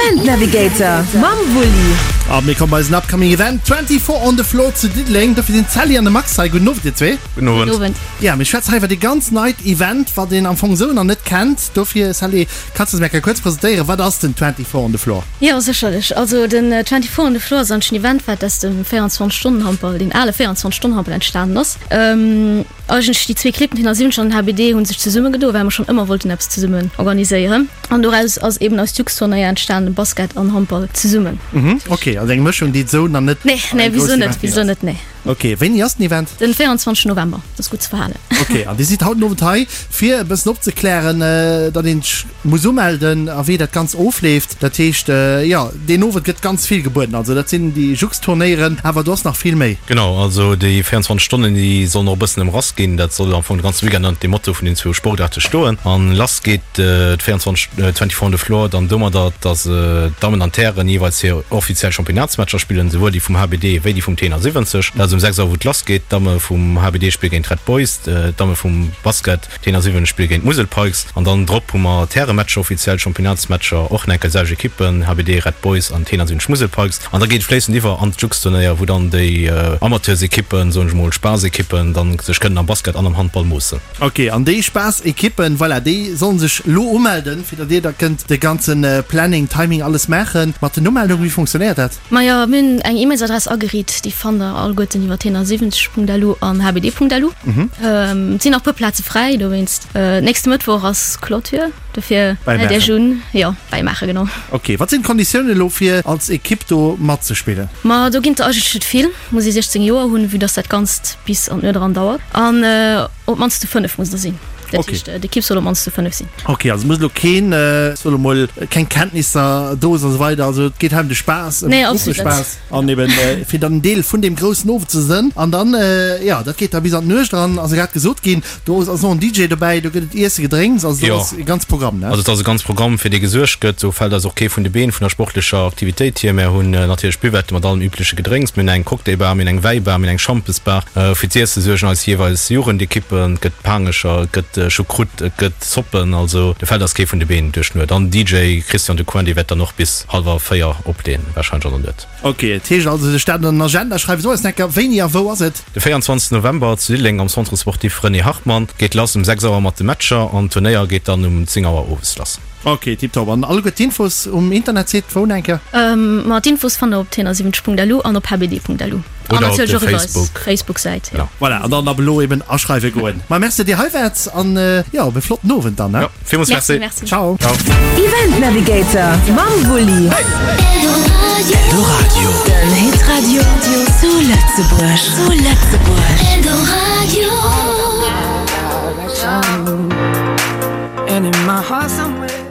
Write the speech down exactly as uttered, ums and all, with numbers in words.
Event Navigator mam Wulli. A mir komme bei eisen upcoming Event twenty four on the Floor zu Diddeleng. Dofir sinn d'Sally an de Max hei. Gudden Owend, dir zwee. Gudden Owend. Gudden Owend. Ja, mir schwätzen hei iwwer e ganz neit Event, wat een am Fong esou nach net kennt. Dofir, Sally, kanns du eis mol eng Kéier kuerz presentéieren, wat ass den twenty four on the Floor? Jo, sécherlech. Also den twenty four on the Floor ass eigentlech en Event, wat aus dem véierundzwanzeg Stonnen Handball, deen ale véierundzwanzeg Stonnen Handball entstanen ass. Eigentlech déi zwee Clibb, den T siwwenzeg an den H B D, hu sech zesummegedo, well mer schonn ëmmer wollten eppes zesummen organiséieren. An doraus ass eben eist Jux-Turnéier entstanen, Basket an Handball zesummen. Mhm, ok, also eng Mëschung, déi et esou nach net Nee, an nee, engem wieso groussen net, Event ginn wieso ass. net, nee. Ok, wéini ass den Event? Den véierundzwanzeg November, dat ass gutt ze verhalen. Ok, an Dir sidd haut den Owend hei, fir e bëssen opzeklären, datt een sech muss umelden a wéi dat Ganzt ofleeft. Dat heescht, jo, deen Owend gëtt ganz vill gebueden. Also dat sinn déi Jux-Turnéieren, awer do ass nach vill méi. Genau, also déi véierundzwanzeg Stonnen, déi sollen och e bëssen ëmrass ginn. Dat soll am Fong de ganze Weekend ënnert dem Motto vun den zwou Sportaarte stoen. An lass geet d'véierundzwanzeg, twenty-four on the floor dann domadder, datt d'Dammen an d'Hären jeeweils hir offiziell Championnatsmatcher spillen, souwuel déi vum H B D wéi déi vum T siwwenzeg. Dat ass um sechs Auer, wou et lass geet. D'Damme vum H B D spille géint d'Red Boys, d'Damme vum Basket T siwwenzeg spille géint d'Musel Pikes. An dann drop hu mer d'Härematcher, offiziell Championnatsmatcher, och nach eng Kéier déi selwecht Ekippen, H B D, Red Boys an T siwwenzeg Musel Pikes. An da geet et fléissend iwwer an d'Jux-Turnéier, wou dann déi Amateursekippen, soen ech mol, Spaassekippen, dann sech kënnen am Basket an am Handball moossen. Ok, an déi Spaassekippen, voilà, déi sollen sech lo umelden, fir datt dir da kënnt de ganze Planning, Timing, alles maachen. Mat den Umeldungen, wéi funktionéiert dat? Majo, mir hunn eng E-Mailsadress ageriit, déi fannt der alleguerten iwwer t siwwenzeg Punkt L U an H B D Punkt L U. Et sinn nach e puer Plaze fräi, dowéinst. Nächste Mëttwoch ass Clôture, dofir mellt iech un. Jo, bäimaachen, genau. Ok, wat sinn d'Konditiounen elo fir als Ekipp do matzespillen? Ma do ginn et der eigentlech net vill. Muss ee siechzéng Joer hunn, vue dass dat Ganzt bis an d'Nuet eran dauert. An op d'mannst zu fënnef musst der sinn. Dat heescht, d'Ekipp soll op d'mannst zu fënnef sinn. Ok, also muss elo keen, soe lo mol, keng Kenntnisser do sinn an esou weider. Also et geet hei ëm de Spaass, ëm de Gruppespaass an eben fir dann en Deel vun deem groussen Owend ze sënn. An dann, jo, dat geet da bis an d'Nuecht eran, ass grad gesot ginn. Do ass och en D J dobäi, do gëtt et Iesse, Gedrénks, also do ass e ganz Programm, ne? Also et ass e ganz Programm, fir dee gesuergt gëtt. Do fält eis och kee vun de Been vun der sportlecher Aktivitéit hier. Mär hunn natierlech Buvette mat allem übleche Gedrénks. Mir hunn eng Cocktailbar, mir hunn eng Wäibar, mir hunn eng Schampesbar. Fir z'Iesse suergen eis jeeweils Jugendekippen. Et gëtt Paangecher, et gëtt Choucroute, et gëtt Zoppen. Also do fält eis kee vun de Been duerch d'Nuet. An den D J Christian Ducoin, dee wäert dann och bis hallwer véier opleeën, warscheinlech an der Nuet. Ok, et heescht also sech dat an den Agenda schreiwen. So eis Necker, wéini a wou ass et? De véierundzwanzegsten November zu Diddeleng am Centre Sportif René Hartmann geet lass um sechs Auer mat de Matcher an d'Turnéier geet dann um zéng Auer owes lass. Ok, tiptop. An alleguer d'Infos um Internetsite wou, Nenke? Ma d'Infos fannt der op t siwwenzeg Punkt L U an op H B D Punkt L U. An Oder op natierlech de och iwwer eis Facebook. Facebook-Säit, jo. Genau. Voilà, an dann ab elo eben aschreiwe goen. Ma merci, datt Dir hei waart an jo, op e flotten Owend dann, ne? Jo, villmools Merci, merci. merci. Ciao. Ciao. Event Navigator mam Wulli. Eldoradio. Den Hitradio zu Lëtzebuerg. Zu Lëtzebuerg. Eldoradio. And in my heart somewhere.